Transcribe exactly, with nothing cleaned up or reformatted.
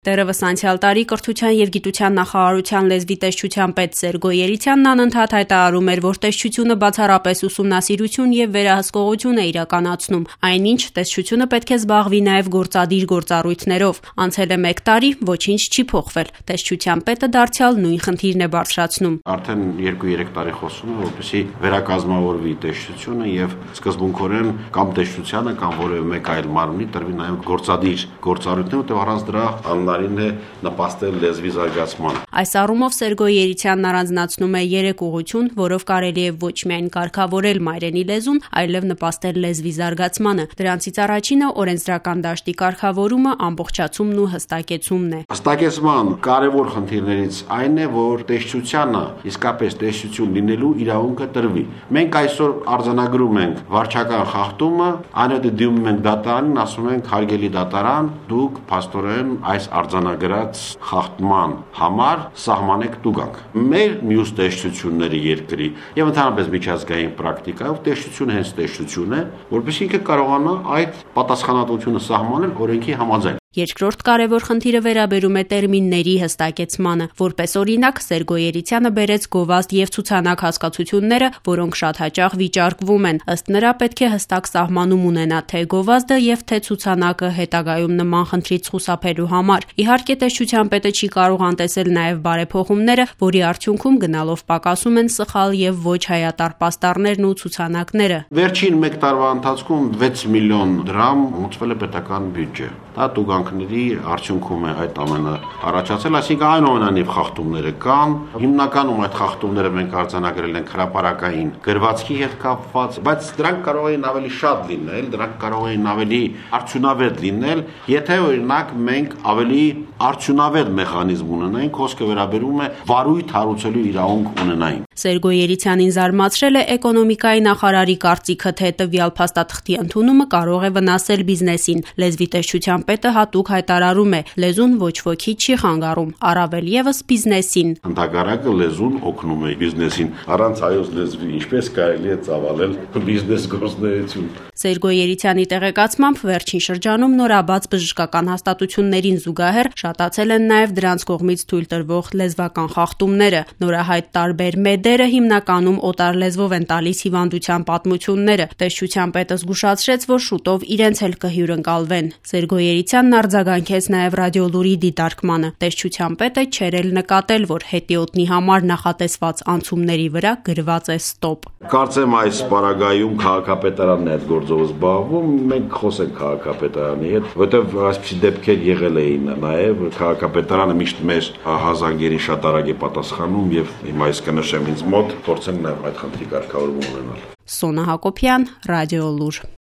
Դեռևս անցյալ տարի կրթության և գիտության նախարարության լեզվի տեսչության պետ Սերգո Երիցյանն անընդհատ հայտարարում էր, որ տեսչությունը բացառապես ուսումնասիրություն և վերահսկողություն է իրականացնում, այնինչ տեսչությունը պետք է զբաղվի նաև գործադիր գործառույթներով։ Անցել է մեկ տարի, ոչինչ չի փոխվել։ Տեսչության պետը դարձյալ նույն խնդիրն է բարձրացնում։ Արդեն երկու-երեք տարի խոսում է, որպեսզի վերակազմավորվի տեսչությունը եւ սկզբունքորեն կամ տեսչությանը կամ որևէ մեկ այլ մարմնի տրվի նաև գործադիր գործառույթներ, որտեղ առանց դրա է նպաստել լեզվի զարգացմանը։ Այս առումով Սերգո Երիցյանն առանձնացնում է երեք ուղղություն, որով կարելի է ոչ միայն կարգավորել մայրենի լեզուն, այլև նպաստել լեզվի զարգացմանը։ Դրանցից առաջինը օրենսդրական դաշտի կարգավորումը, ամբողջացումն ու հստակեցումն է։ Հստակեցման կարևոր խնդիրներից այն է, որ տեսչությանը իսկապես տեսչություն լինելու իրավունքը տրվի։ Մենք այսօր արձանագրում ենք վարչական խախտումը, այնուհետև դիմում ենք դատարանին, ասում ենք հարգելի դատարան, դուք փաստորեն այս արձանագրած խախտման համար սահմանեք տուգանք։ Մեր մյուս տեսչությունների երկրի եւ ընդհանրապես միջազգային պրակտիկայով տեսչությունը հենց տեսչություն է, որովհետեւ ինքը կարողանա այդ պատասխանատվությունը սահմանել օրենքի համաձայն։ Երկրորդ կարևոր խնդիրը վերաբերում է տերմինների հստակեցմանը։ Որպես օրինակ, Սերգո Երիցյանը բերեց գովազդ եւ ցուցանակ հասկացությունները, որոնք շատ հաճախ վիճարկվում են։ Ըստ նրա պետք է հստակ սահմանում ունենա թե գովազդը եւ թե ցուցանակը հետագայում նման խնդրից խուսափելու համար։ Իհարկե, տեսչության պետը չի կարող անտեսել նաեւ բարեփոխումները, որի արդյունքում գնալով պակասում են սխալ եւ ոչ հայատար պաստառներն ու ցուցանակները։ Վերջին մեկ տարվա ընթացքում վեց միլիոն դրամ մուծվել է պետական բյուջե։ Դա տուգանքների արդյունքում է այդ ամենը առաջացել, այսինքն այնուամենայնիվ խախտումները կան։ Հիմնականում այդ խախտումները մենք արձանագրել ենք հրապարակային գրվածքի հետ կապված, բայց դրանք կարող են ավելի շատ լինել, դրանք կարող են ավելի արդյունավետ լինել, եթե օրինակ մենք ավելի արդյունավետ մեխանիզմ ունենայինք, խոսքը վերաբերում է վարույթ հարուցելու իրավունք ունենային։ Սերգո Երիցյանին զարմացրել է էկոնոմիկայի նախարարի կարծիքը, թե տվյալ փաստաթղթի ընդունումը կարող է վնասել բիզնեսին։ Լեզվի տեսչության պետը հատուկ հայտարարում է, լեզուն ոչ ոքի չի խանգարում, առավել եւս բիզնեսին։ Ընդհակառակը լեզուն օգնում է բիզնեսին, առանց հայոց լեզվի ինչպես կարելի է ծավալել բիզնես գործունեություն։ Սերգո Երիցյանի տեղեկացմամբ վերջին շրջանում նորաբաց բժշկական հաստատություններին զուգահեռ շատացել են նաև դրանց կողմից թույլ տրվող լեզվական խախտումները։ Նորահայտ տարբեր մեդերը հիմնականում օտար լեզվով են տալիս հիվանդության պատմությունները։ Տեսչության պետը զգուշացրեց, որ շուտով իրենց էլ կհյուրընկալվեն։ Սերգո Երիցյանն արձագանքեց նաև ռադիոլուրի դիտարկմանը։ Տեսչության պետը չէր էլ նկատել, որ հետիոտնի համար նախատեսված անցումների վրա գրված է ստոպ։ Կարծեմ այս պարագայում քաղաքապետարանն է այդ գործով զբաղվում, մենք խոսենք քաղաքապետարանի հետ, որտեղ այսպիսի դեպքեր եղել էին նաև քաղաքապետարանը միշտ մեր հազանգերին շատ արագ է պատասխանում եւ հիմա այս կնշեմ ինձ մոտ փորձենք նաև այդ խնդրի կարգավորում ունենալ։ Սոնա Հակոբյան, Ռադիոլուր։